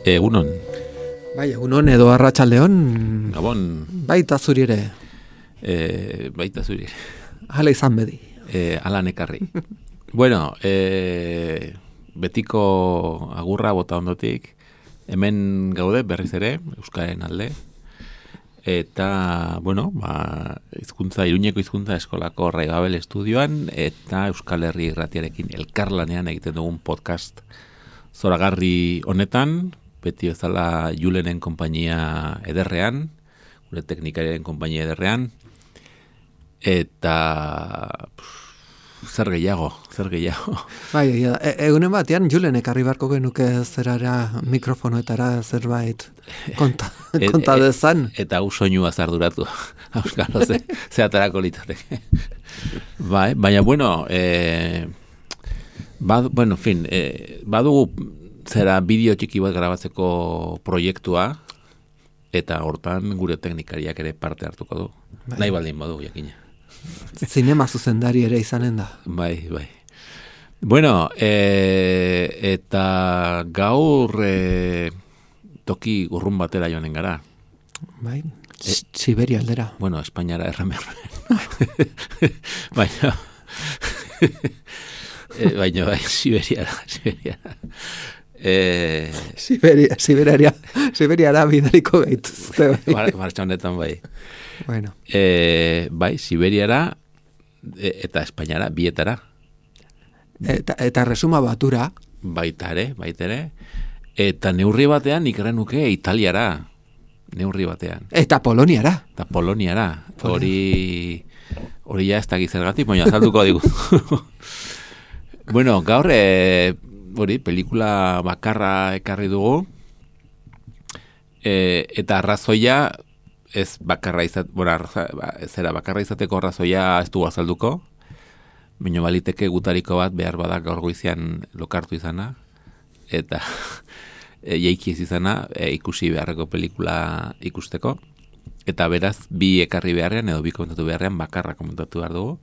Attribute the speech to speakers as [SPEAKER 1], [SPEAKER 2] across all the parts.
[SPEAKER 1] Egunon.
[SPEAKER 2] Bai, egunon edo arratsaldeon.
[SPEAKER 1] Gabon.
[SPEAKER 2] Baita zuri ere.
[SPEAKER 1] Baita zuri.
[SPEAKER 2] Hala izan bedi.
[SPEAKER 1] Ala nekarri. Bueno, betiko agurra bota ondotik. Hemen gaude berriz ere, Euskaren alde. Eta, bueno, Iruñeko hizkuntza eskolako Raibabel estudioan eta Euskal Herri irratiarekin elkarlanean egiten dugun podcast zoragarri honetan, beti bezala Julenen konpainia ederrean, gure teknikariaren konpainia ederrean, eta zer gehiago.
[SPEAKER 2] Bai, egunen batean Julen ekarri barko genuke zerara mikrofonoetara zerbait konta dezan.
[SPEAKER 1] Eta soinua zarduratu, auskalo ze atarako litzateke. Bai, baina bueno, badugu zera bideo txiki bat grabatzeko proiektua, eta hortan gure teknikariak ere parte hartuko du. Bai. Nahi baldin badu, jakina.
[SPEAKER 2] Zinema zuzendari ere izanen da.
[SPEAKER 1] Bai. Bueno, eta gaur toki urrun batera joanen gara.
[SPEAKER 2] Bai, Siberia aldera.
[SPEAKER 1] Bueno, Espainiara erramerroen. Baina bai, Siberiara.
[SPEAKER 2] Siberiara bidaliko gaituzte.
[SPEAKER 1] Martxa honetan bai.
[SPEAKER 2] Bueno.
[SPEAKER 1] Bai, Siberiara eta Espainiara bietara.
[SPEAKER 2] Eta resuma batura.
[SPEAKER 1] Baita ere. Eta neurri batean ikerrenuke Italiara. Neurri batean.
[SPEAKER 2] Eta Poloniara.
[SPEAKER 1] Hori ja ez dakiz zergatik, baina azalduko diguzu. Bueno, gaur pelikula bakarra ekarri dugu, eta arrazoia ez bakarra bakarra izateko arrazoia ez dugu azalduko, baina baliteke gutariko bat behar badak gaur goizean lokartu izana, eta jaiki ez izana ikusi beharreko pelikula ikusteko, eta beraz bi ekarri beharrean edo bi komentatu beharrean bakarra komentatu behar dugu.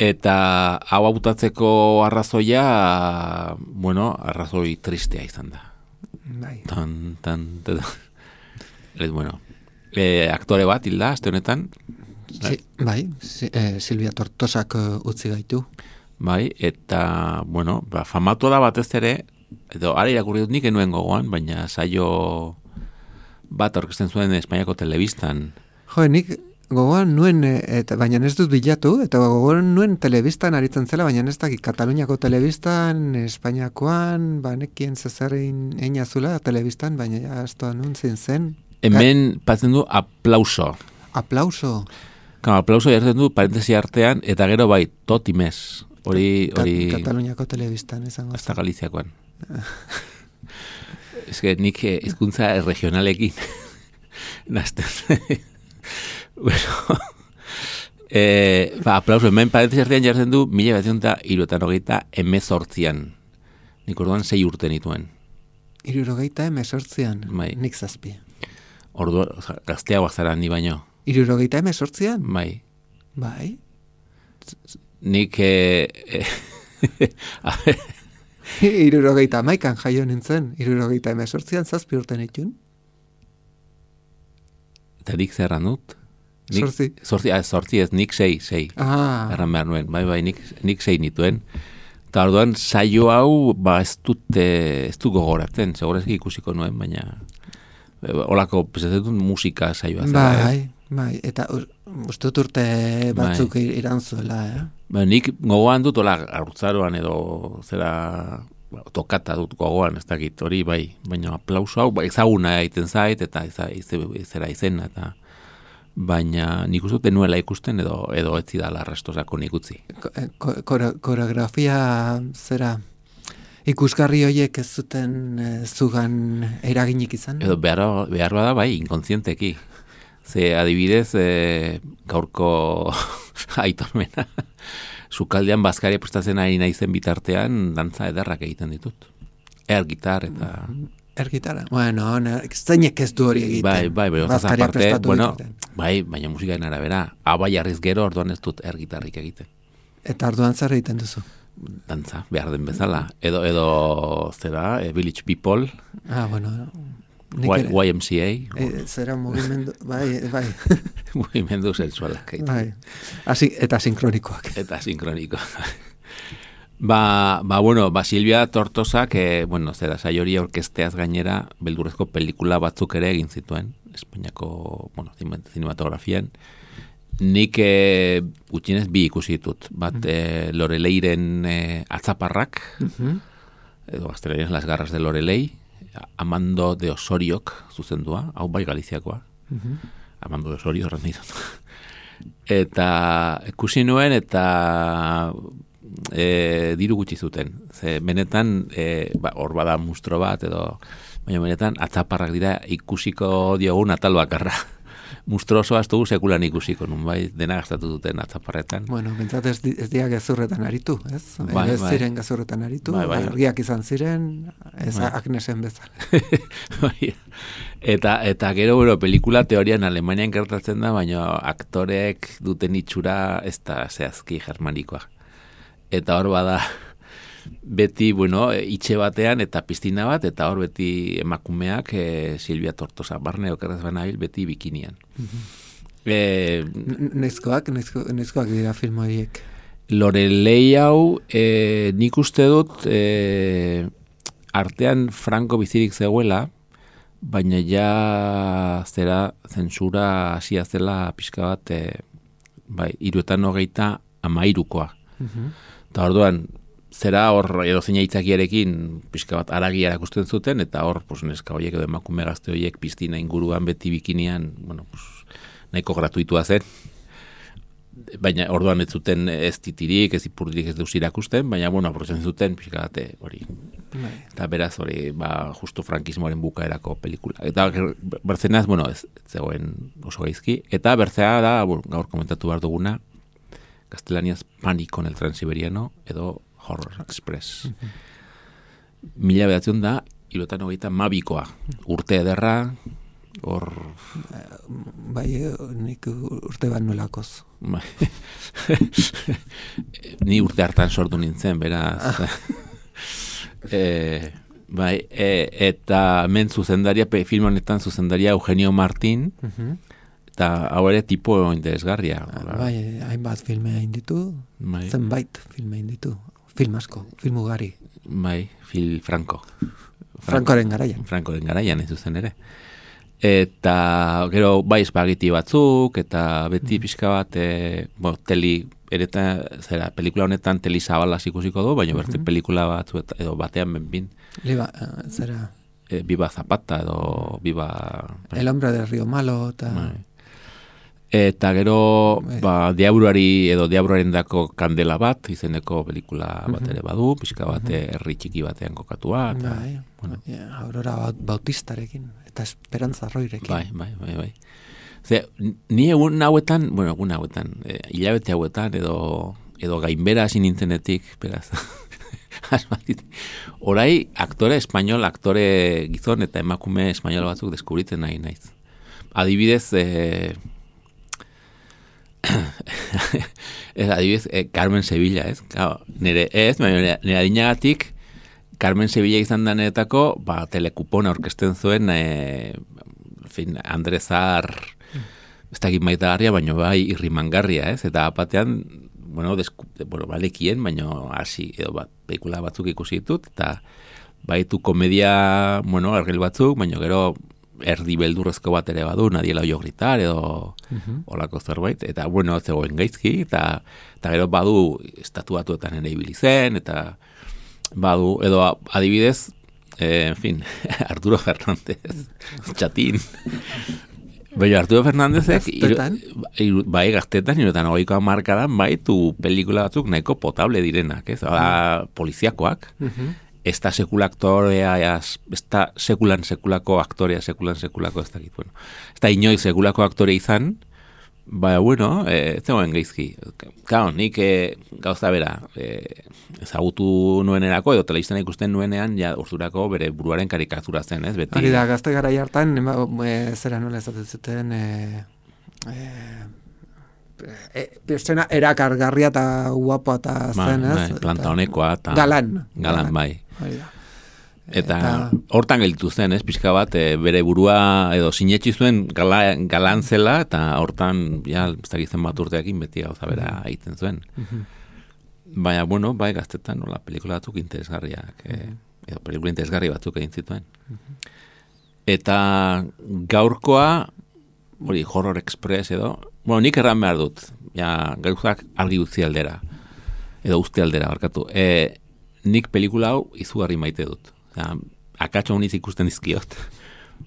[SPEAKER 1] Eta hau hautatzeko arrazoia, arrazoi tristea izan da.
[SPEAKER 2] Bai.
[SPEAKER 1] Aktore bat, hilda, aste honetan.
[SPEAKER 2] Bai, Silvia Tortosak utzi gaitu.
[SPEAKER 1] Bai, eta, famatu da batez ere, edo ara irakurri dut nik enuen gogoan, baina saio bat aurkezten zuen Espainiako telebistan.
[SPEAKER 2] Jo, nik gogoan nuen, baina ez dut bilatu, eta gogoan nuen telebistan aritzen zela, baina ez dakit Kataluniako telebistan, Espainiakoan, nekien zezarein einazula telebistan, baina jaztoan nun zen.
[SPEAKER 1] Hemen patzen du aplauso.
[SPEAKER 2] Aplauso?
[SPEAKER 1] Aplauso jartzen du parentesi artean, eta gero bai, totimez. Hori
[SPEAKER 2] Kataluniako telebistan izango.
[SPEAKER 1] Hasta Galiziakoan. Ez que nik hizkuntza regionalekin nazten. Bueno, aplauso, hemen parentesi artean jartzen du 1978an. Nik orduan 6 urte nituen.
[SPEAKER 2] 78an?
[SPEAKER 1] Bai.
[SPEAKER 2] Nik 7.
[SPEAKER 1] Orduan, gazteagoak zara ni baino.
[SPEAKER 2] 78an?
[SPEAKER 1] Bai.
[SPEAKER 2] Bai?
[SPEAKER 1] Nik...
[SPEAKER 2] 71an jaio nintzen. 78an 7 urte nituen.
[SPEAKER 1] Eta nik zerran dut?
[SPEAKER 2] Zortzi
[SPEAKER 1] ez, nik 6. Erran behar nuen, bai, nik 6 nituen. Eta orduan saio hau, ez du gogoratzen, segurezki ikusiko nuen, baina holako, pesatzen musika saioa zela.
[SPEAKER 2] Bai, eta uste dut urte batzuk irantzuela,
[SPEAKER 1] Nik gogoan dut, haurtzaroan edo zera tokata dut gogoan, ez dakit, hori bai, baina aplauso hau, ezaguna egiten zait, eta zera izena, eta baina nik uste nuela ikusten edo etzi dala restosako nik utzi.
[SPEAKER 2] Koreografia zera ikusgarri horiek ez zuten zugan eraginik izan?
[SPEAKER 1] Edo behar bada bai, inkontzienteki. Ze adibidez, gaurko aitormena, sukaldean bazkaria prestatzen ari naizen bitartean, dantza ederrak egiten ditut. Gitar eta...
[SPEAKER 2] Gitara? Bueno, zeinek ez du hori egiten.
[SPEAKER 1] Bai,
[SPEAKER 2] bazkaria
[SPEAKER 1] aparte,
[SPEAKER 2] prestatu
[SPEAKER 1] bueno,
[SPEAKER 2] dituten.
[SPEAKER 1] bai, baina musikaren arabera, aba jarriz gero orduan ez dut gitarrik egiten.
[SPEAKER 2] Eta orduan zer egiten duzu?
[SPEAKER 1] Dantza, behar den bezala. Edo zera, Village People,
[SPEAKER 2] Bueno,
[SPEAKER 1] YMCA.
[SPEAKER 2] Zera mugimendu, bai.
[SPEAKER 1] Mugimendu sexualak.
[SPEAKER 2] Bai. Eta sinkronikoak.
[SPEAKER 1] Eta sinkronikoak. Bueno, Silvia Tortosak, zera, saiori orkesteaz gainera, beldurrezko pelikula batzuk ere egin zituen, Espainiako, zinematografian. Nik gutxienez bi ikusi ditut. Bat, Loreleiren atzaparrak, edo gaztelaniaz Las garras de Lorelei, Amando de Osoriok zuzendua, hau bai Galiziakoa. Amando de Osorio horren ditut. Eta ikusi nuen eta diru gutxi zuten. Ze benetan, hor bada mustro bat, edo baina benetan atzaparrak dira ikusiko diogun atal bakarra. Mustroso astugu sekulan ikusiko, nun bai, dena gastatu duten atzaparretan.
[SPEAKER 2] Bueno, bentsat ez dira gezurretan aritu, ez?
[SPEAKER 1] Bai,
[SPEAKER 2] ez ziren gezurretan aritu, argiak izan ziren, ez Agnesen bezala.
[SPEAKER 1] Bai. Eta gero, pelikula teorian Alemanian gertatzen da, baina aktoreek duten itxura ez da zehazki germanikoa. Eta hor bada, beti, itxe batean eta piztina bat, eta hor beti emakumeak Silvia Tortosa, barne okerrez banabil, beti bikinian.
[SPEAKER 2] Neizkoak dira film horiek.
[SPEAKER 1] Lorelei hau, nik uste dut, artean Franco bizirik zegoela, baina ja zera zentsura hasia zela pixka bat, 323koa. Eta orduan, zera hor edo zeina itzakiarekin pixka bat aragia erakusten zuten, eta hor neska horiek edo emakume gazte horiek piztina inguruan beti bikinian, nahiko gratuitua zen. Baina orduan ez zuten ez titirik, ez ipurdirik ez deus irakusten, baina aprotzen zuten pixka bate hori. Eta beraz hori, justu frankismoaren bukaerako pelikula. Eta bertzenaz, ez zegoen oso gaizki. Eta bertzea da, gaur komentatu behar duguna, gaztelaniaz Pánico en el Transiberiano, edo Horror Express. 1992 urte ederra, hor...
[SPEAKER 2] Bai, nik urte bat nuelakoz.
[SPEAKER 1] Ni urte hartan sortu nintzen, beraz. Eta hemen zuzendaria, film honetan zuzendaria Eugenio Martín, eta hau ere tipo interesgarria.
[SPEAKER 2] Bai, hainbat filme hain ditu, zenbait filme hain ditu. Film asko, film ugari.
[SPEAKER 1] Bai, Franco.
[SPEAKER 2] Francoren garaian.
[SPEAKER 1] Francoren garaian, ez zuzen ere. Eta gero bai espagiti batzuk, eta beti pixka bat, pelikula honetan teli zabalaz ikusiko du, baina berte pelikula batzu edo batean benbin.
[SPEAKER 2] Zera?
[SPEAKER 1] Viva Zapata edo Viva...
[SPEAKER 2] El hombre del Río Malo, eta...
[SPEAKER 1] Eta gero, diabruaren dako kandela bat, izeneko pelikula bat ere badu, pixka bat herri txiki batean kokatua.
[SPEAKER 2] Aurora Bautistarekin, eta Esperantza Roirekin.
[SPEAKER 1] Bai. Ni egun hauetan, hilabete hauetan, edo gainbera hasi nintzenetik, beraz, orai aktore espanyol, aktore gizon eta emakume espanyol batzuk deskubritzen nahi naiz. Adibidez, adibidez, Carmen Sevilla, ez? Nire adinagatik, Carmen Sevilla izan danetako, telekupona orkesten zuen, Andre Zahar, ez dakit maitagarria, baina bai irrimangarria, ez? Eta apatean, balekien, baina hasi, edo pelikula batzuk ikusi ditut, eta baitu komedia, argel batzuk, baina gero erdi beldurrezko bat ere badu, Nadiela oio gritar, edo olako zerbait, eta zegoen gaizki, eta gero badu estatuatuetan ere ibili zen, eta badu, edo adibidez, Arturo Fernández, txatin. Baina Arturo Fernándezek, bai gaztetan, 90ko hamarkadan, bai, tu pelikula batzuk nahiko potable direnak, ez? Poliziakoak. ez da sekula aktorea, ez da sekulako aktorea, sekulan sekulako ez dakit, bueno. Ez da inoiz sekulako aktore izan, baina, bueno, ez zegoen geizki. Claro, nik gauza bera, ezagutu nuenerako, edo telebistan ikusten nuenean, ja urdurako bere buruaren karikatura zen, ez? Beti.
[SPEAKER 2] Hori da, gazte gara hartan, zera nola ezaten zuten, pertsona erakargarria eta guapoa eta zen, ez?
[SPEAKER 1] Bai, planta honekoa eta
[SPEAKER 2] galan,
[SPEAKER 1] bai.
[SPEAKER 2] Hori da.
[SPEAKER 1] Eta hortan gelditu zen, ez, pixka bat, bere burua edo sinetsi zuen galan zela, eta hortan, ja, ez dakitzen bat urteakin beti gauza bera egiten zuen. Baina, bueno, bai, gaztetan, nola, pelikula batzuk interesgarriak, edo pelikula interesgarri batzuk egin zituen. Eta gaurkoa, hori, Horror Express edo, bueno, nik erran behar dut, ja, gauzak argi utzi aldera, edo uste aldera, barkatu. Nik pelikula hau izugarri maite dut. Akatxo honiz ikusten dizkiot.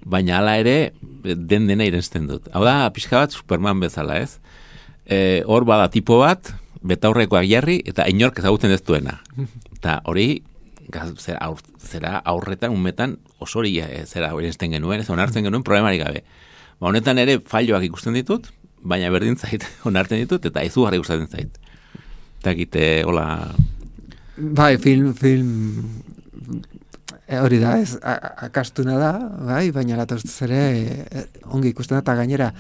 [SPEAKER 1] Baina hala ere, dena irenzten dut. Hau da, pixka bat Superman bezala, ez? Hor bada tipo bat, betaurrekoak jarri, eta inork ezagutzen ez duena. Eta hori, zera aurretan, unmetan, oso hori zera irenzten genuen, ez onartzen genuen problemarik gabe. Ba, honetan ere, falloak ikusten ditut, baina berdin zait, onartzen ditut, eta izugarri gustatzen zait. Eta egite, hola...
[SPEAKER 2] Bai, film hori da, ez akastuna da, bai, baina latostuz ere ongi ikusten da, eta gainera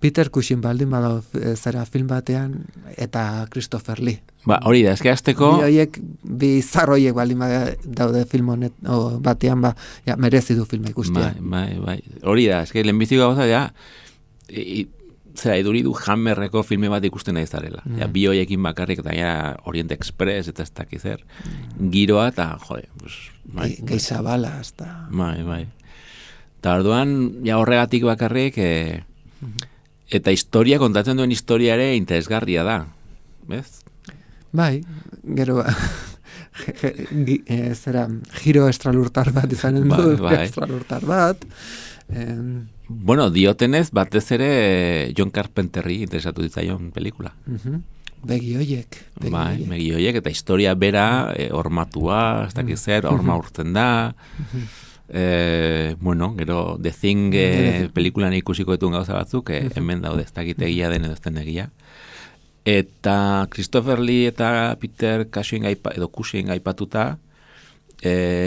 [SPEAKER 2] Peter Cushing baldin badao zera film batean, eta Christopher Lee.
[SPEAKER 1] Ba, hori da, eske azteko...
[SPEAKER 2] Bi zarroiek baldin daude film honet batean, ba, ja, merezi du filma ikustia.
[SPEAKER 1] Bai. Hori da, eske lehenbiziko gauza, ja, zera, iduri du Hammerreko filme bat ikusten nahi zarela. Ja, bi hoiekin bakarrik, eta ja, Orient Express, eta ez dakiz zer. Giroa, eta, jode, pues, bai.
[SPEAKER 2] Geizabala, hasta...
[SPEAKER 1] Bai. Eta orduan, ja horregatik bakarrik, eta historia, kontatzen duen historia ere interesgarria da. Bez?
[SPEAKER 2] Bai, gero, zera, giro estralurtar bat izanen du, estralurtar bat.
[SPEAKER 1] Bueno, diotenez, batez ere John Carpenterri interesatu ditzaion pelikula.
[SPEAKER 2] Begi hoiek.
[SPEAKER 1] Bai, begi hoiek, eta historia bera, hormatua, ez dakiz zer, horma urtzen da. Bueno, gero, The Thing pelikulan ikusiko dituen gauza batzuk, hemen daude, ez dakit egia den edo ez den egia. Eta Christopher Lee eta Peter Cushing aipatuta,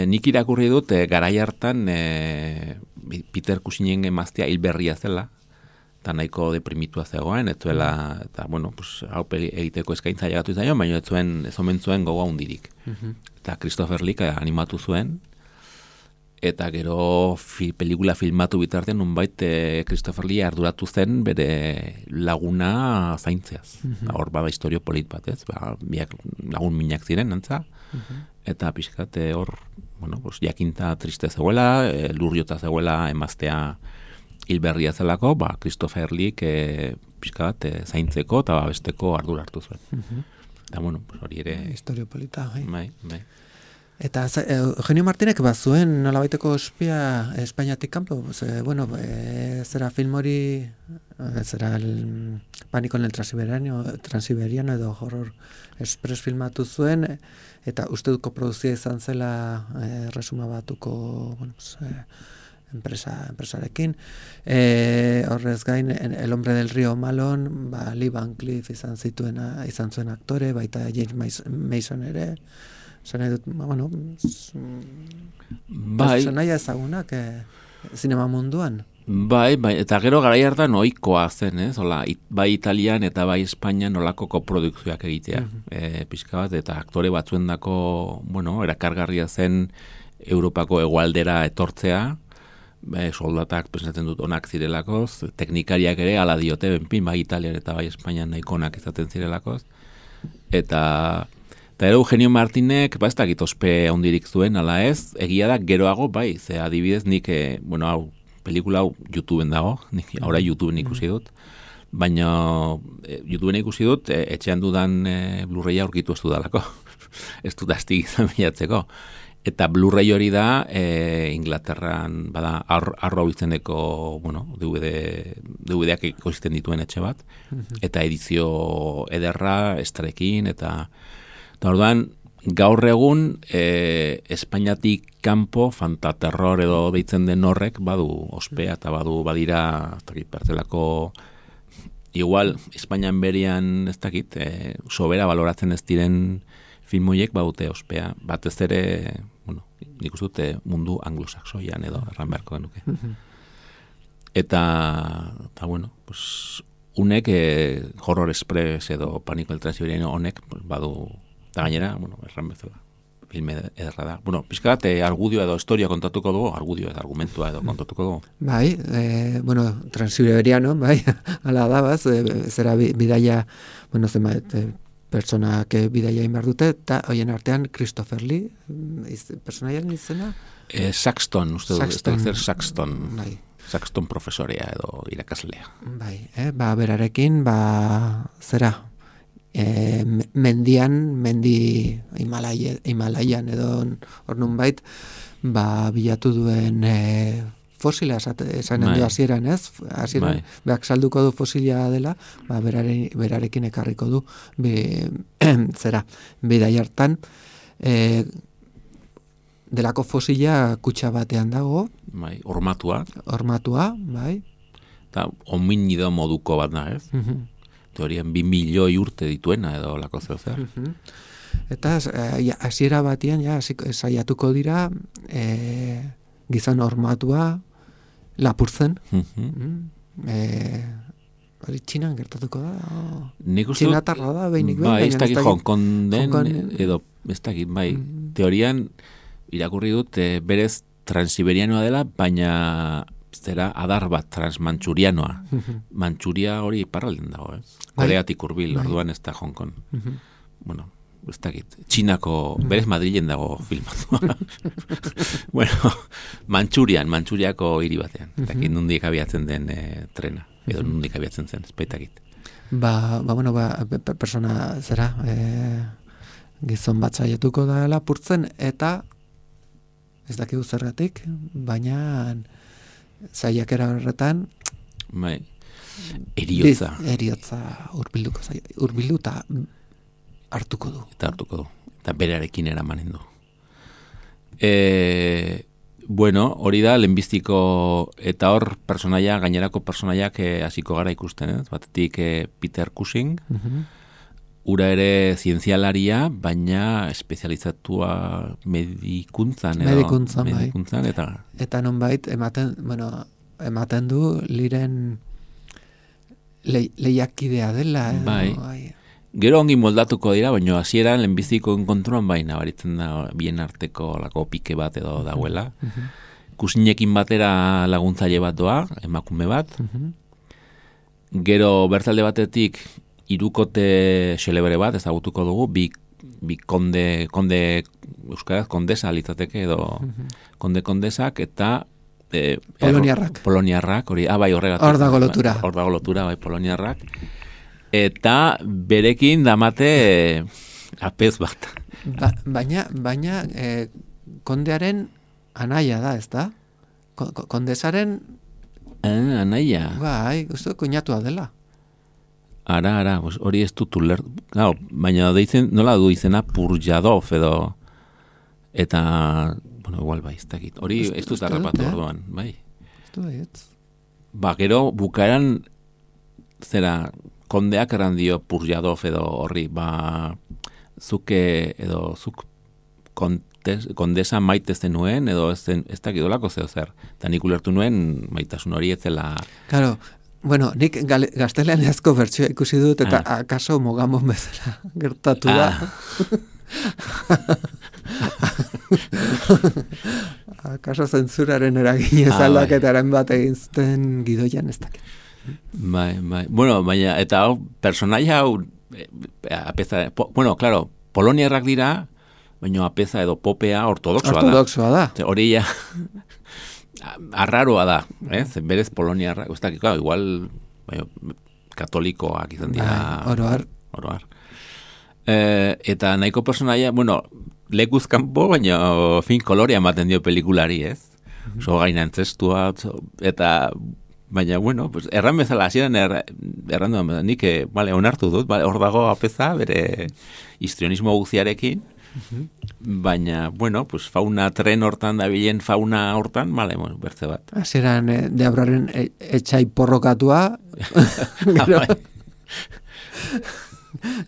[SPEAKER 1] nik irakurri dut garai hartan Peter Cushingen emaztea hilberria zela, eta nahiko deprimitua zegoen, ez zuela, eta bueno, pues, hau egiteko eskaintza llegatu izan, baina ez omen zuen gogoa hundirik. Eta Christopher Lee animatu zuen, eta gero pelikula filmatu bitartean nunbait Christopher Lee arduratu zen bere laguna zaintzeaz. Hor bada historio polit bat, ez? Biak lagun minak ziren, antza, eta pixkat hor, bueno, pues, jakinta triste zegoela, lurriota zegoela emaztea hilberria zelako, Christopher Lee pixkat zaintzeko eta babesteko ardura hartu zuen. Eta, bueno, pues, hori ere...
[SPEAKER 2] Historio polita,
[SPEAKER 1] bai.
[SPEAKER 2] Eta Eugenio Martinek batzuen nolabaiteko ospia Espainiatik kanpo, bueno, zera film hori, zera el Pánico en el Transiberiano edo Horror Express filmatu zuen, eta uste dut koproduzia izan zela resuma batuko, bueno, enpresarekin. Horrez gain, El hombre del río Malon, Lee Van Cleef izan zuen aktore, baita James Mason ere, bueno, personaia ezagunak zinema munduan.
[SPEAKER 1] Bai, eta gero garai hartan ohikoa zen, ez? Hola, bai Italian eta bai Espainian nolako koprodukzioak egitea. Pixka bat, eta aktore batzuendako, bueno, erakargarria zen Europako hegoaldera etortzea, soldatak pensatzen dut onak zirelakoz, teknikariak ere hala diote, benpin, bai Italian eta bai Espainian nahiko onak izaten zirelakoz, eta ero Eugenio Martinek, ez dakit ospe handirik zuen, ala ez, egia da geroago, bai, ze adibidez nik, bueno, hau, pelikula hau YouTubeen dago, ahora YouTubeen ikusi dut, baina YouTubeen ikusi dut, etxean dudan Blu-raya aurkitu ez dudalako, ez dut astik izan bilatzeko. Eta Blu-ray hori da, Inglaterran, bada, arro izeneko, bueno, DVD-ak ikusten dituen etxe bat, eta edizio ederra, estarekin, eta orduan, gaur egun Espainiatik kanpo fantaterror edo deitzen den horrek badu ospea eta badira ez dakit pertzelako igual Espainian berian ez dakit sobera baloratzen ez diren film horiek badute ospea batez ere bueno, nik uste dute mundu anglosaxoian edo erran beharko genuke. Eta bueno, pues unek Horror Express edo Pánico el Transiberiano honek pues, badu eta gainera, bueno, erran bezala filme ederra da. Bueno, pixka bat argudio edo historia kontatuko dugu, argudio edo argumentua edo kontatuko dugu.
[SPEAKER 2] Bai, bueno, Transiberiano, bai, ala da, baz, zera bidaia, bueno, zenbait, pertsonak bidaia inbar dute, eta hoien artean Christopher Lee, personaiaren izena?
[SPEAKER 1] Saxton, uste du, Saxton.
[SPEAKER 2] Bai.
[SPEAKER 1] Saxton profesorea edo irakaslea.
[SPEAKER 2] Bai, berarekin, zera, mendi Himalaian edo hor nunbait, bilatu duen fosila esan du hasieran, ez? Hasieran, beak salduko du fosila dela, berarekin ekarriko du, zera, bidai hartan, delako fosila kutxa batean dago.
[SPEAKER 1] Bai, hormatua,
[SPEAKER 2] bai.
[SPEAKER 1] Eta hominido moduko bat da, ez? Teorian 2 milioi urte dituena edo lako zer.
[SPEAKER 2] Eta hasiera batean saiatuko dira gizon hormatua lapurtzen. Hori Txinan gertatuko da? Txinatarra da, behinik behin?
[SPEAKER 1] Bai, ez dakit Hong Kong den, edo ez dakit, bai. Teorian irakurri dut berez transiberianoa dela, baina zera adar bat transmanchurianoa. Manchuria hori iparralden dago, ez? Koreatik hurbil, orduan ez da Hong Kong. Bueno, ez dakit. Txinako, berez Madrilen dago filmatua. Bueno, Manchuriako hiri batean. Dakit nundik abiatzen den trena. Edo nundik abiatzen zen, espaitakit.
[SPEAKER 2] Bueno, persona zera, gizon bat saiatuko da lapurtzen, eta ez dakigu zergatik, baina saiakera horretan eriotza urbilduta hartuko du.
[SPEAKER 1] Eta berarekin eramanen du. Bueno, hori da, lehenbiztiko eta hor personaia, gainerako personaiak hasiko gara ikusten, ez? Batetik Peter Cushing, ura ere zientzialaria, baina espezializatua medikuntzan eta
[SPEAKER 2] nonbait ematen du liren lehiakidea dela.
[SPEAKER 1] Bai. Gero ongi moldatuko dira, baina hasieran lehenbiziko enkontruan baina baritzen da bien arteko lako pike bat edo dagoela. Kusinekin batera laguntzaile bat doa, emakume bat. Gero bertalde batetik hirukote xelebre bat ezagutuko dugu, bi konde euskaraz kondesa litzateke edo kondesak eta Poloniarrak, hori, bai horregatik. Hor dago lotura, bai Poloniarrak. Eta berekin damate apez bat.
[SPEAKER 2] Baina kondearen anaia da, ez da? Kondesaren
[SPEAKER 1] anaia.
[SPEAKER 2] Bai, uste kuñatua dela.
[SPEAKER 1] Ara, hori ez dut ulertu. Baina deitzen, nola du izena Purjadov edo eta, bueno, igual bai, ez dakit. Hori ez dut harrapatu orduan, bai. Gero bukaeran zera kondeak eran dio Purjadov edo horri, zuk kondesa maite zenuen edo ez dakit olako zer. Eta nik ulertu nuen maitasun hori etzela.
[SPEAKER 2] Claro. Bueno, nik gazteleanezko bertsioa ikusi dut, eta akaso mogamon bezala gertatu da. Akaso zentzuraren eraginez aldaketaren bat egin zuten gidoian ez dakit.
[SPEAKER 1] Bai. Bueno, baina, eta hau, personaia hau, bueno, claro, poloniarrak dira, baina apeza edo popea ortodoxoa
[SPEAKER 2] da.
[SPEAKER 1] Hori ja... Arraroa da, berez Poloniarra, igual katolikoak izan dira. Oroar. Eta nahiko personaia, bueno, lekuz kanpo, baina kolorea ematen dio pelikulari, ez? So gaina antzestua, eta baina, bueno, pues, erran bezala, hasieran erran duan, nik onartu dut, hor dago apeza, bere histrionismo guziarekin, Baina, bueno, pues fauna tren hortan da bilen fauna hortan, bale, bueno, bertze bat.
[SPEAKER 2] Hasieran Deabraren etxai porrokatua, gero,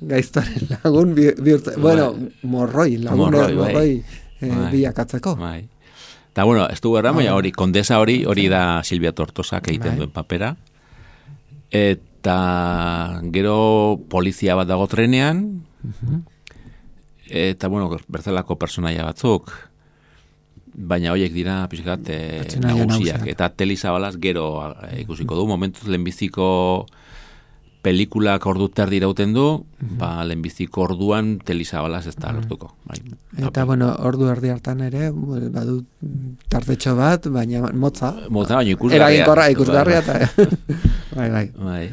[SPEAKER 2] gaiztoaren lagun bihurtzen, bueno, morroi, morroi bilakatzeko.
[SPEAKER 1] Bai. Eta, bueno, ez du gerra, baina hori, kondesa hori da Silvia Tortosak egiten duen papera. Eta gero polizia bat dago trenean, eta, bueno, bertzelako personaia batzuk, baina horiek dira pixkat nagusiak. Eta Teli Zabalaz gero ikusiko du, momentuz lehenbiziko pelikulak ordu terdi irauten du, lehenbiziko orduan Teli Zabalaz ez da gertuko.
[SPEAKER 2] Eta, bueno, ordu erdi hartan ere, badu tartetxo bat, baina motza.
[SPEAKER 1] Motza, baina ikusgarria.
[SPEAKER 2] Ikusgarria, eta bai.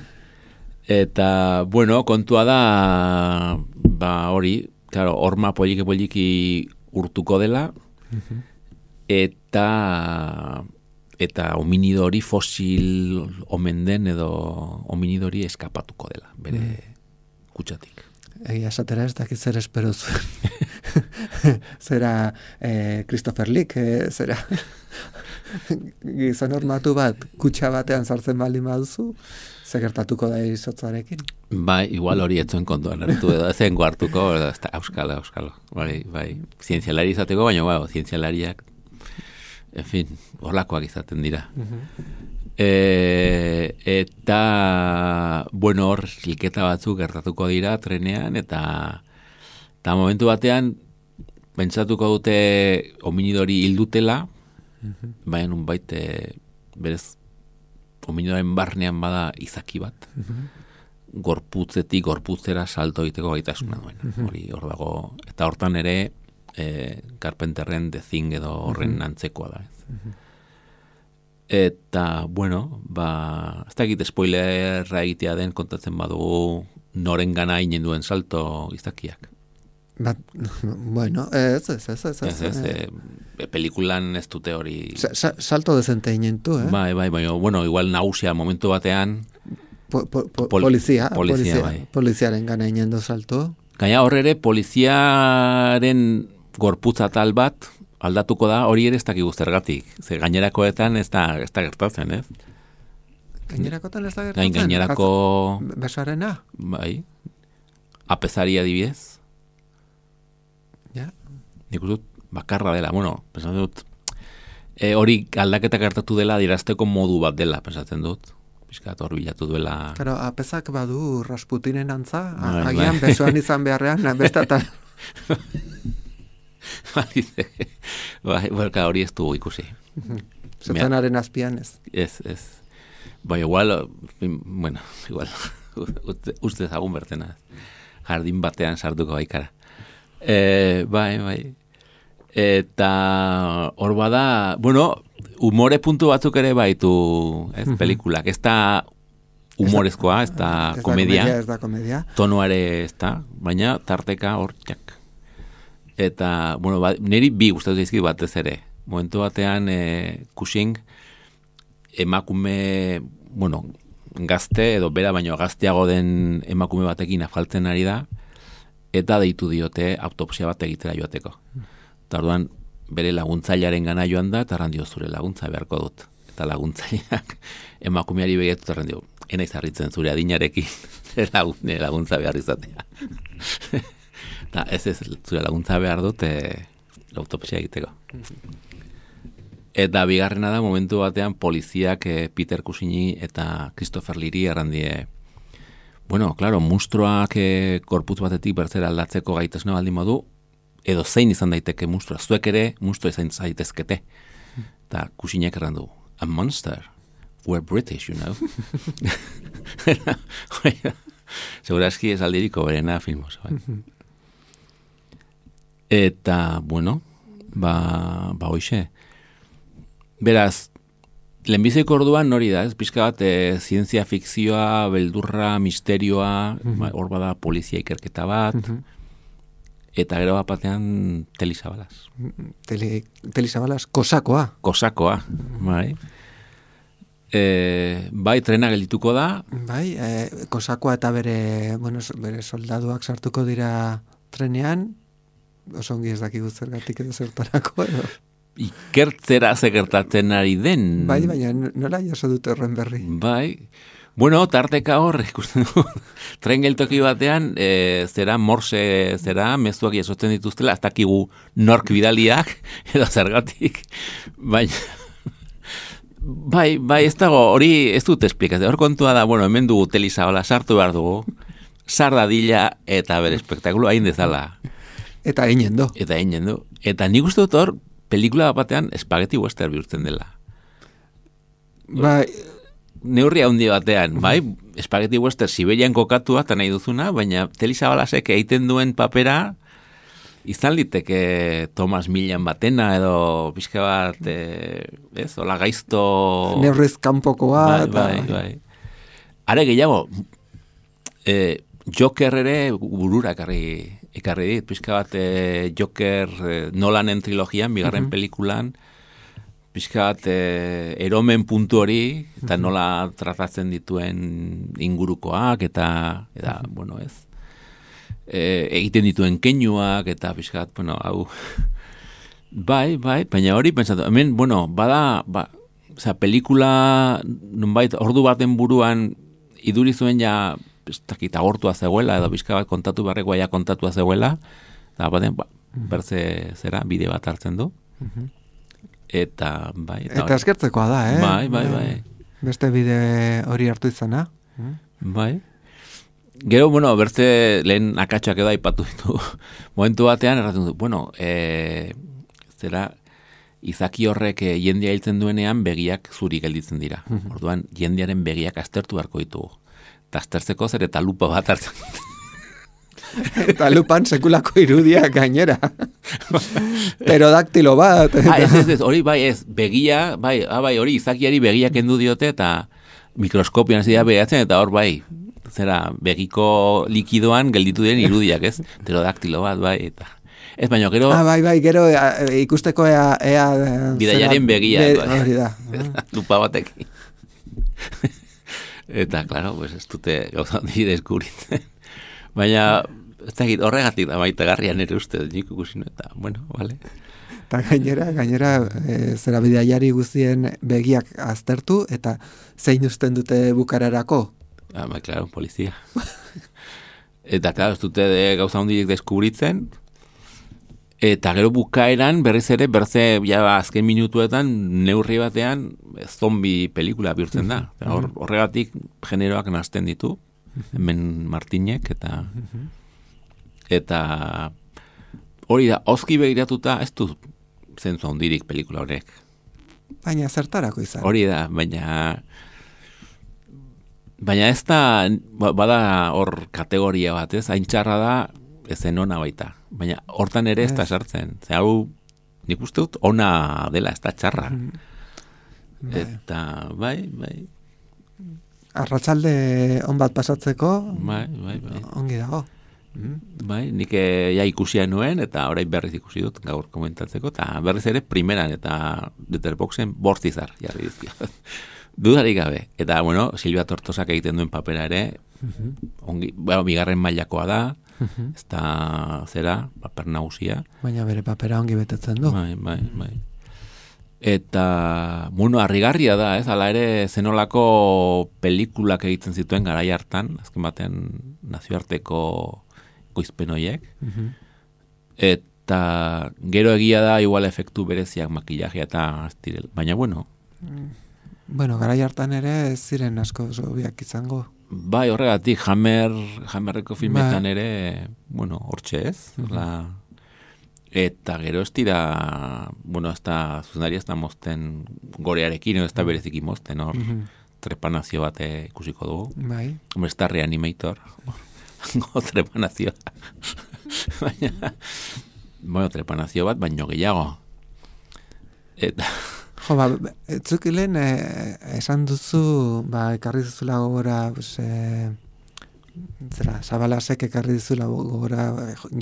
[SPEAKER 1] Eta, bueno, kontua da, hori, claro, horma poliki urtuko dela, eta hominidori fosil omen den edo hominidori eskapatuko dela, bere kutsatik.
[SPEAKER 2] Egia esatera ez dakit zer espero zuen. Zera Christopher Lee, zera gizon hormatu bat, kutsa batean sartzen baldin baduzu, ze gertatuko da izotzarekin?
[SPEAKER 1] Bai, igual hori etzuen kontuan hartu edo ezen hartuko, auskalo. Bai, zientzialari izateko, baina zientzialariak, en fin, horlakoak izaten dira. Eta, bueno, hor hilketa batzuk gertatuko dira trenean, eta momentu batean, pentsatuko dute hominidori hildutela, baina nunbait berez hominidoren barnean bada izaki bat, gorputzera salto egiteko gaitasuna duen. Hor dago, eta hortan ere, Carpenterren The Thing edo horren antzekoa da. Eta, bueno, ez dakit spoilerra egitea den kontatzen badu noren gana inen duen salto izakiak.
[SPEAKER 2] Bueno, ez.
[SPEAKER 1] Pelikulan ez dute hori...
[SPEAKER 2] Salto dezente inen du,
[SPEAKER 1] Bai, bueno, igual nagusia momentu batean...
[SPEAKER 2] Poliziaren gana inen du salto.
[SPEAKER 1] Gaina horre poliziaren gorputza tal bat aldatuko da, hori ere ez dakigu zergatik. Ze gainerakoetan ez da gertatzen, ez?
[SPEAKER 2] Gainerakoetan ez da gertatzen?
[SPEAKER 1] Gainerako...
[SPEAKER 2] Besoarena?
[SPEAKER 1] Bai. Apezari adibidez.
[SPEAKER 2] Ja.
[SPEAKER 1] Nik dut bakarra dela. Bueno, pensatzen dut, hori aldaketa gertatu dela dirazteko modu bat dela, pensatzen dut. Piskat hor bilatu duela...
[SPEAKER 2] Claro, apezak badu Rasputinen antza, agian besoan izan beharrean, bestatal...
[SPEAKER 1] Hori ez du ikusi.
[SPEAKER 2] Zetanaren azpian ez.
[SPEAKER 1] Ez. Bai, igual, uste zagun bertena. Jardin batean sartuko baikara. Bai. Eta hor bada, bueno, humore puntu batzuk ere baitu, ez, pelikulak. Ez da humorezkoa, ez da komedia.
[SPEAKER 2] Ez da komedia.
[SPEAKER 1] Tonoare ez da, baina tarteka hor txak. Eta, bueno, niri bi gustatu zaizkit batez ere. Momentu batean, Cushing, emakume, bueno, gazte, edo bera baino gazteago den emakume batekin afaltzen ari da, eta deitu diote autopsia bat egitera joateko. Eta orduan, bere laguntzailearen gana joan da, eta randio zure laguntza beharko dut. Eta laguntzaileak emakumeari begietu, eta randio, enaiz harritzen zure adinarekin, laguntza behar izatea. Eta ez zure laguntza behar dut autopsia egiteko. Eta bigarrena da, momentu batean, poliziak Peter Cushing eta Christopher Leeri errandie, bueno, claro, monstruak korputz batetik bertzera aldatzeko gaitasuna baldin modu, edo zein izan daiteke monstrua, zuek ere monstrua izan zaitezkete. Eta Cushingek errandu, a monster, we're British, you know. Segurazki ez aldiriko berena filmoso, Eta, bueno, hoxe. Beraz, lehenbiziko orduan hori da, ez? Pixka bat, zientzia fikzioa, beldurra, misterioa, hor bada polizia ikerketa bat, eta gero bat batean Teli Zabalaz.
[SPEAKER 2] Teli Zabalaz, kosakoa.
[SPEAKER 1] Kosakoa, bai. Bai, trena geldituko da.
[SPEAKER 2] Bai, kosakoa eta bere soldaduak sartuko dira trenean, oso ongi ez dakigu zergatik edo zertarako edo.
[SPEAKER 1] Ikertzera gertatzen ari den.
[SPEAKER 2] Bai, baina nola jaso dute horren berri.
[SPEAKER 1] Bai. Bueno, tarteka hor, ikusten du, tren geltoki batean, morse mezuak jasotzen dituztela, ez dakigu nork bidaliak, edo zergatik, baina, bai, ez dago, hori ez dut esplikatzen, hor kontua da, bueno, hemen dugu Telizabala sartu behar dugu, sardadila eta bere espektakulu hain dezala.
[SPEAKER 2] Eta einen du.
[SPEAKER 1] Eta nik uste dut hor, pelikula batean spaghetti western bihurtzen dela.
[SPEAKER 2] Bai,
[SPEAKER 1] neurri handi batean, bai, spaghetti western Siberian kokatua eta nahi duzuna, baina Telizabalasek egiten duen papera izan liteke Thomas Millan batena edo pixka bat, ez, hola gaizto...
[SPEAKER 2] Neurriz kanpokoa.
[SPEAKER 1] Bai. Are gehiago, Joker ere burura ekarri dit, pixka bat Joker Nolanen trilogian, bigarren pelikulan, pixka bat eromen puntu hori, eta nola tratatzen dituen ingurukoak, eta bueno, ez, egiten dituen keinuak, eta pixka bat, bueno, hau, bai, baina hori, pentsatu, hemen, bueno, pelikula, nonbait, ordu baten buruan, iduri zuen ja, ez dakit, agortua zegoela, edo pixka bat kontatu barrekoa ja kontatua zegoela, eta baten, berze zera, bide bat hartzen du. Eta, bai.
[SPEAKER 2] Eta eskertzekoa da,
[SPEAKER 1] Bai.
[SPEAKER 2] Beste bide hori hartu izana.
[SPEAKER 1] Bai. Gero, bueno, bertze lehen akatsak edo aipatu ditu. Momentu batean, erraten du, bueno, zera, izaki horrek jendia hiltzen duenean begiak zuri gelditzen dira. Orduan, jendiaren begiak aztertu beharko ditugu. Eta aztertzeko zer eta lupa bat hartzen.
[SPEAKER 2] Eta lupan sekulako irudia gainera. Pterodaktilo bat.
[SPEAKER 1] Ez, hori bai, ez, begia, bai, hori izakiari begiak kendu diote eta mikroskopian zidea behatzen, eta hor bai, zera, begiko likidoan gelditu den irudiak, ez? Pterodaktilo bat, bai, eta... Ez baino, gero...
[SPEAKER 2] Bai, gero ikusteko ea
[SPEAKER 1] bidaiaren begia.
[SPEAKER 2] Hori da.
[SPEAKER 1] Lupa batekin. Eta, klaro, pues, ez dute gauza handi deskubritzen. Baina, ez dakit, horregatik da maitagarrian ere uste, nik ikusi eta, bueno, vale.
[SPEAKER 2] Eta gainera, zera bidaiari guztien begiak aztertu, eta zein usten dute bukararako?
[SPEAKER 1] Bai, klaro, polizia. Eta, klaro, ez dute gauza handiek deskubritzen, eta gero bukaeran berriz ere, ja azken minutuetan, neurri batean, zombi pelikula bihurtzen da. Horregatik generoak nazten ditu, hemen Martinek, eta hori da, oski begiratuta, ez du zentzu handirik pelikula horrek.
[SPEAKER 2] Baina zertarako izan.
[SPEAKER 1] Hori da, baina ez da, bada hor kategoria bat, ez, haintxarra da, ezen ona baita. Baina hortan ere ez da sartzen. Ze hau, nik uste dut, ona dela, ez da txarra. Eta, bai.
[SPEAKER 2] Arratsalde on bat pasatzeko,
[SPEAKER 1] bai.
[SPEAKER 2] Ongi dago.
[SPEAKER 1] Bai, nik ja ikusia nuen, eta orain berriz ikusi dut gaur komentatzeko, eta berriz ere primeran eta Letterboxen bortzizar jarri dizkio. Dudarik gabe. Eta, bueno, Silvia Tortosak egiten duen papera ere, ongi, bigarren mailakoa da, ez da zera, paper nagusia.
[SPEAKER 2] Baina bere papera ongi betetzen du.
[SPEAKER 1] Bai. Eta, bueno, harrigarria da, ez? Hala ere, zenolako pelikulak egiten zituen garai hartan, azken batean nazioarteko goizpen horiek. Eta gero egia da, igual efektu bereziak makillajea eta aztirel. Baina, bueno.
[SPEAKER 2] Bueno, garai hartan ere ez ziren asko zobiak izango.
[SPEAKER 1] Bai, horregatik, Hammerreko filmetan ere, bueno, hortxe ez, eta gero ez dira, bueno, ez da, zuzendari ez da mozten gorearekin, ez da bereziki mozten, hor, trepanazio bat ikusiko dugu.
[SPEAKER 2] Bai.
[SPEAKER 1] Hombre, ez da Reanimator, trepanazio. Baina, bueno, trepanazio bat, baino gehiago. Eta...
[SPEAKER 2] Jo, etzukilen esan duzu, ekarri duzula gogora, Zabalasek ekarri duzula gogora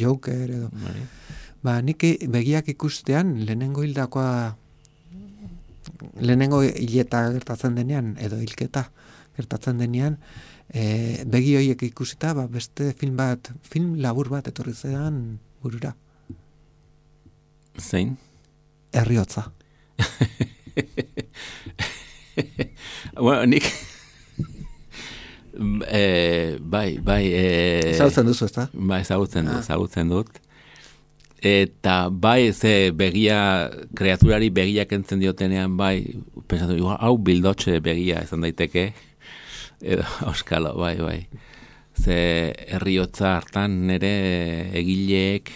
[SPEAKER 2] Joker edo. Nik begiak ikustean, lehenengo hileta gertatzen denean, edo hilketa gertatzen denean, begi horiek ikusita, beste film labur bat etorri zean burura.
[SPEAKER 1] Zein?
[SPEAKER 2] Herriotza.
[SPEAKER 1] Bueno, nik... bai...
[SPEAKER 2] Ezagutzen duzu, ezta?
[SPEAKER 1] Bai, ezagutzen dut. Eta bai, ze begia, kreaturari begiak entzen diotenean, bai, pensatu, hau bildotxe begia izan daiteke, edo, auskalo, bai. Ze herriotza hartan nire egileek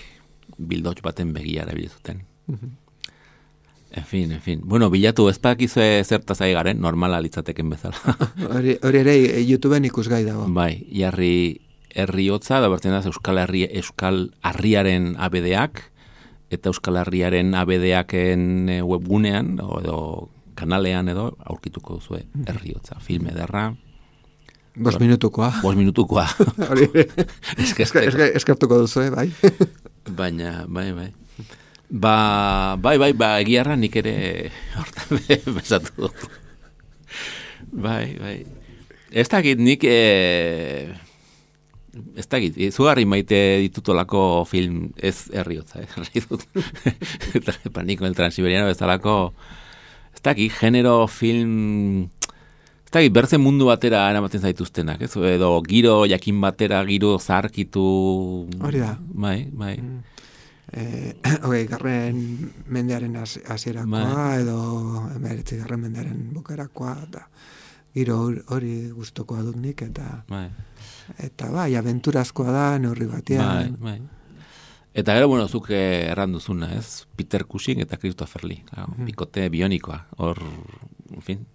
[SPEAKER 1] bildotx baten begia erabilezuten. En fin. Bueno, bilatu ezpakizue zertaz ari garen, normala litzateken bezala.
[SPEAKER 2] Hori ere YouTubeen ikusgai dago.
[SPEAKER 1] Bai, jarri herriotza, da bertzen da Euskal Harriaren abedeak, eta Euskal Harriaren abedeaken webgunean, edo kanalean edo, aurkituko duzue herriotza. Film ederra.
[SPEAKER 2] 5 minutukoa.
[SPEAKER 1] 5 minutukoa.
[SPEAKER 2] Hori eskertuko duzue, bai.
[SPEAKER 1] Baina, bai. Bai, egiarra nik ere hortan besatu dut. Bai. Ez dakit nik... Ez dakit, zugarri maite ditutolako film ez herriotza, dut. Paniko el Transiberiano bezalako, ez dakit, genero film, ez dakit, bertzen mundu batera eramaten zaituztenak, ez? Edo giro jakin batera, giro zarkitu...
[SPEAKER 2] Hori da.
[SPEAKER 1] Bai.
[SPEAKER 2] Garren mendearen hasierakoa, edo 19. mendearen bukarakoa, eta giro hori gustokoa dut nik, eta... Eta bai, abenturazkoa da, neurri batean.
[SPEAKER 1] Bai. Eta gero, bueno, zuk erranduzuna, ez? Peter Cushing eta Christopher Lee. Bikote bionikoa. Hor, en fin.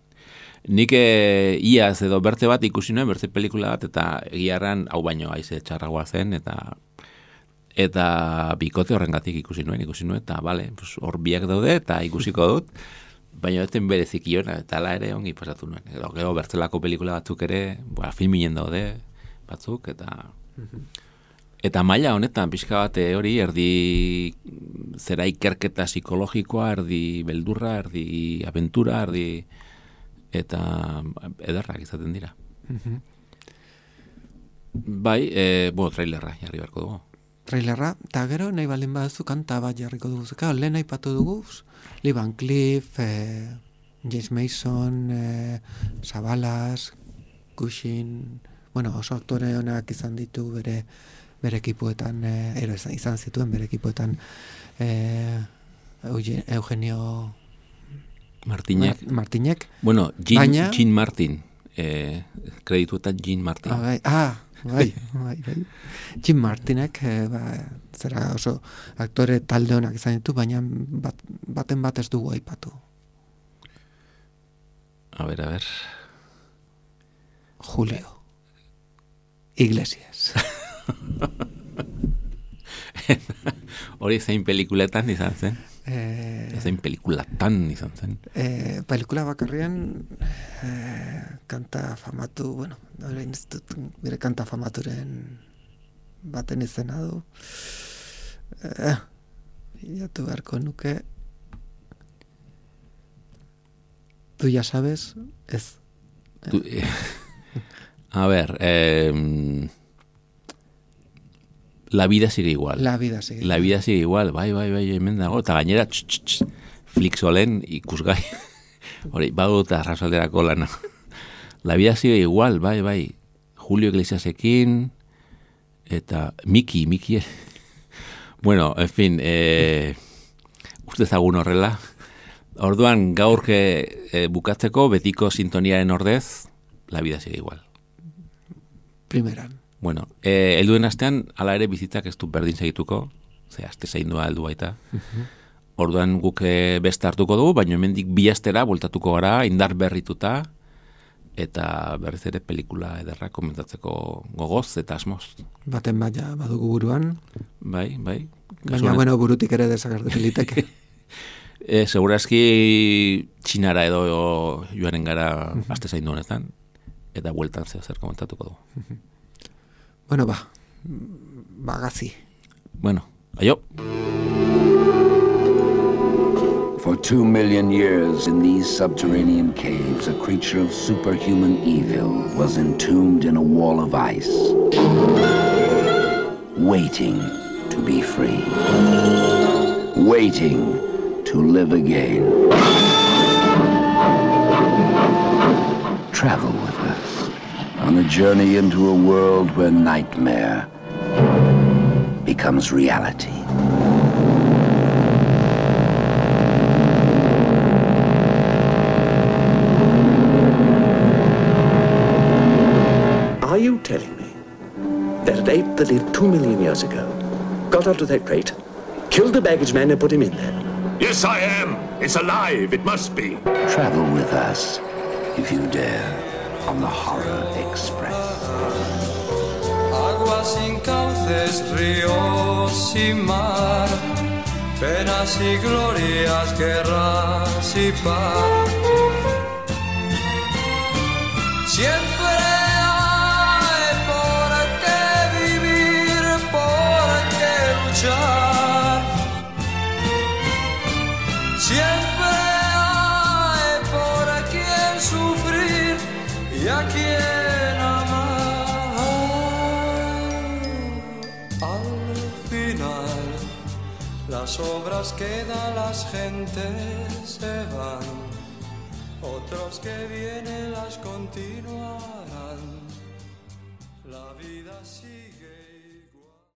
[SPEAKER 1] Nik iaz edo bertze bat ikusi nuen, bertze pelikula bat, eta egiarran hau baino haize txarragoa zen, eta bikote horrengatik ikusi nuen, eta bale, hor biak daude, eta ikusiko dut, baina ez den bereziki hona, eta ala ere ongi pasatu nuen. Gero bertzelako pelikula batzuk ere, filminen daude, batzuk, eta maila honetan, pixka bat hori, erdi zera ikerketa psikologikoa, erdi beldurra, erdi abentura, erdi eta ederrak izaten dira. Bai, trailerra jarri beharko dugu.
[SPEAKER 2] Trailerra, eta gero nahi baldin baduzu kanta bat jarriko dugu. Lehen aipatu dugu, Lee Van Cleef, James Mason, Savalas, Cushing, oso aktore honak izan ditu bere ekipuetan, izan zituen bere ekipuetan Eugenio Martinek.
[SPEAKER 1] Bueno, Jean Martin, kredituetan Jean Martin.
[SPEAKER 2] Bai. Jim Martinek, zera oso aktore talde honak izan ditu, baina baten bat ez dugu aipatu.
[SPEAKER 1] A ver.
[SPEAKER 2] Julio Iglesias.
[SPEAKER 1] Hori zein pelikuletan izan zen? Zein pelikulatan izan zen?
[SPEAKER 2] Pelikula bakarrian kanta famatu, bere kanta famaturen baten izena du. Bilatu beharko nuke. Tu ya sabes, ez.
[SPEAKER 1] A ver, La vida sigue igual.
[SPEAKER 2] La vida sigue
[SPEAKER 1] igual, bai, hemen dago, eta gainera, Flixolen ikusgai. Hori, badut arrasalderako lana. La vida sigue igual, bai. Julio Iglesiasekin, eta Miki. Bueno, en fin, uste ezagun horrela. Orduan, gaurke bukatzeko, betiko sintoniaren ordez, La vida sigue igual.
[SPEAKER 2] Primeran.
[SPEAKER 1] Bueno, helduen astean, ala ere bizitzak ez du berdin segituko, ze aste zaindua heldu baita. Orduan guk beste hartuko dugu, baina hemendik bi astera bueltatuko gara, indar berrituta, eta berriz ere pelikula ederra komentatzeko gogoz eta asmoz.
[SPEAKER 2] Baten baina badugu buruan.
[SPEAKER 1] Bai.
[SPEAKER 2] Baina, burutik ere desagertu liteke.
[SPEAKER 1] Segurazki Txinara edo joaren gara aste zaindu honetan, eta bueltan zer komentatuko dugu.
[SPEAKER 2] Bueno, gazi.
[SPEAKER 1] Bueno, aio.
[SPEAKER 3] For 2 million years in these subterranean caves, a creature of superhuman evil was entombed in a wall of ice, waiting to be free. waiting to live again. Travel with us on a journey into a world where nightmare becomes reality.
[SPEAKER 4] Are you telling me that an ape that lived 2 million years ago got onto that crate, killed the baggage man and put him in there?
[SPEAKER 5] Yes, I am. It's alive. It must be.
[SPEAKER 3] Travel with us, if you dare, on the Horror Express.
[SPEAKER 6] Aguas sin cauces, ríos sin mar, penas y glorias, guerras y paz. Siempre hay por qué vivir, por qué luchar. Siempre hay por quien sufrir y a quien amar. Al final, las obras quedan, las gentes se van. Otros que vienen las continuarán. La vida sigue.